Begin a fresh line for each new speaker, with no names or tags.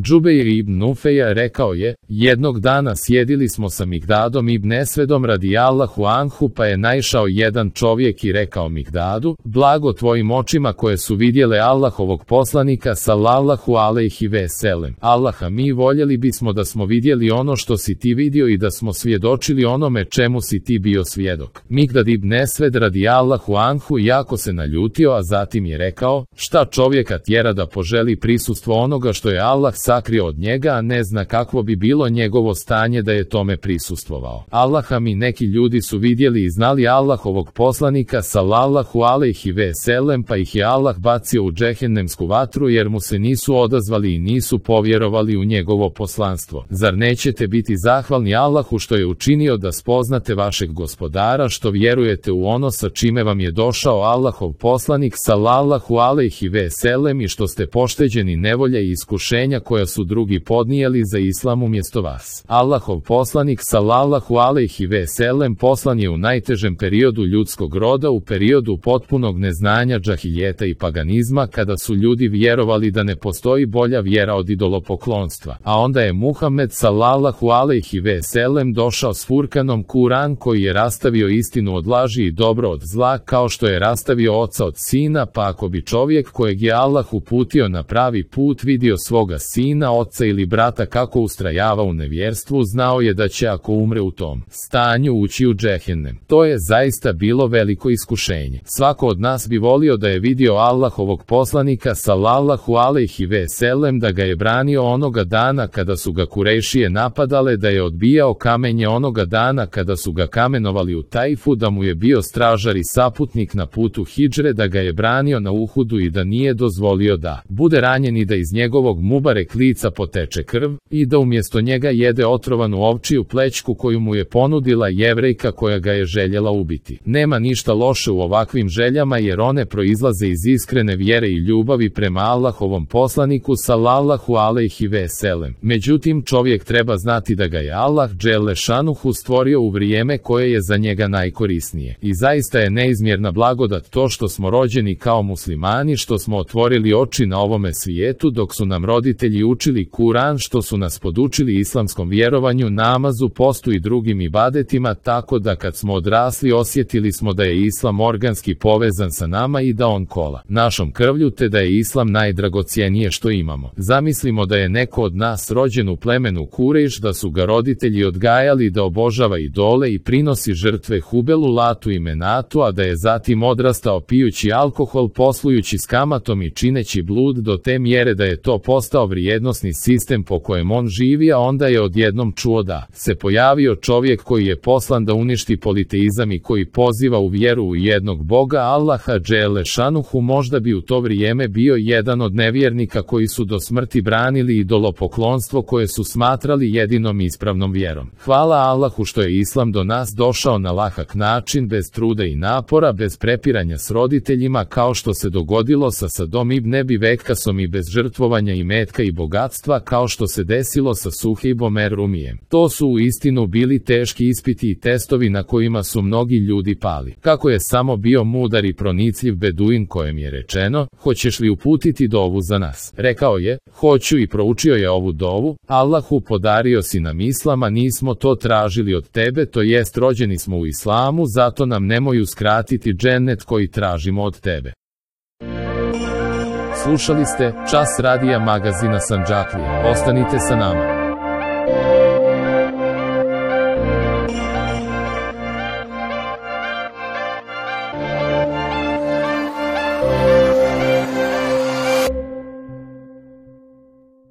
Džubeir ibn Nufeja rekao je, jednog dana sjedili smo sa Mikdadom ibn Esvedom radijallahu anhu, pa je naišao jedan čovjek i rekao Mikdadu, blago tvojim očima koje su vidjele Allahovog poslanika sallallahu alejhi ve sellem. Allaha, mi voljeli bismo da smo vidjeli ono što si ti vidio i da smo svjedočili onome čemu si ti bio svjedok. Mikdad ibn Esved radijallahu anhu jako se naljutio, a zatim je rekao, šta čovjeka tjera da poželi prisustvo onoga što je Allah sakrio od njega, a ne zna kakvo bi bilo njegovo stanje da je tome prisustvovao. Allaha, mi neki ljudi su vidjeli i znali Allahovog poslanika sallallahu alejhi ve sellem, pa ih je Allah bacio u džehennemsku vatru jer mu se nisu odazvali i nisu povjerovali u njegovo poslanstvo. Zar nećete biti zahvalni Allahu što je učinio da spoznate vašeg gospodara, što vjerujete u ono sa čime vam je došao Allahov poslanik sallallahu alejhi ve sellem i što ste pošteđeni nevolje i iskušenja koja su drugi podnijeli za islam umjesto vas. Allahov poslanik sallallahu alejhi ve sellem poslan je u najtežem periodu ljudskog roda, u periodu potpunog neznanja, džahiljeta i paganizma, kada su ljudi vjerovali da ne postoji bolja vjera od idolopoklonstva. A onda je Muhammed sallallahu alejhi ve sellem došao s Furkanom, Kur'an koji je rastavio istinu od laži i dobro od zla, kao što je rastavio oca od sina, pa ako bi čovjek kojeg je Allah uputio na pravi put vidio svoga sina, oca ili brata kako ustrajava u nevjerstvu, znao je da će ako umre u tom stanju ući u džehennem. To je zaista bilo veliko iskušenje. Svako od nas bi volio da je vidio Allahovog poslanika sallallahu alejhi ve sellem, da ga je branio onoga dana kada su ga Kurejšije napadale, da je odbijao kamenje onoga dana kada su ga kamenovali u Tajfu, da mu je bio stražar i saputnik na putu hidžre, da ga je branio na Uhudu i da nije dozvolio da bude ranjen i da iz njegovog mubarek lica poteče krv, i da umjesto njega jede otrovanu ovčiju plećku koju mu je ponudila Jevrejka koja ga je željela ubiti. Nema ništa loše u ovakvim željama jer one proizlaze iz iskrene vjere i ljubavi prema Allahovom poslaniku sallallahu alejhi ve sellem. Međutim, čovjek treba znati da ga je Allah dželle šanuhu stvorio u vrijeme koje je za njega najkorisnije. I zaista je neizmjerna blagodat to što smo rođeni kao muslimani, što smo otvorili oči na ovome svijetu dok su nam roditelji učili Kur'an, što su nas podučili islamskom vjerovanju, namazu, postu i drugim ibadetima, tako da kad smo odrasli osjetili smo da je islam organski povezan sa nama i da on kola našom krvlju, te da je islam najdragocjenije što imamo. Zamislimo da je neko od nas rođen u plemenu Kurejš, da su ga roditelji odgajali da obožava idole i prinosi žrtve Hubelu, Latu i Menatu, a da je zatim odrastao pijući alkohol, poslujući s kamatom i čineći blud do te mjere da je to postao vrijednosni sistem po kojem on živi, a onda je odjednom čuo da se pojavio čovjek koji je poslan da uništi politeizam i koji poziva u vjeru u jednog Boga, Allaha dželle šanuhu. Možda bi u to vrijeme bio jedan od nevjernika koji su do smrti branili idolopoklonstvo koje su smatrali jedinom ispravnom vjerom. Hvala Allahu što je islam do nas došao na lahak način, bez truda i napora, bez prepiranja s roditeljima kao što se dogodilo sa Sadom ibn Ebi Vekkasom i bez žrtvovanja imetka i bogatstva kao što se desilo sa Suhejbom er-Rumijem. To su u istinu bili teški ispiti i testovi na kojima su mnogi ljudi pali. Kako je samo bio mudar i pronicljiv beduin kojem je rečeno, hoćeš li uputiti dovu za nas? Rekao je, hoću, i proučio je ovu dovu, Allahu, podario si nam islam, a nismo to tražili od tebe, to jest rođeni smo u islamu, zato nam nemoj uskratiti džennet koji tražimo od tebe. Slušali ste Čas radija magazina Sandžaklija. Ostanite sa nama.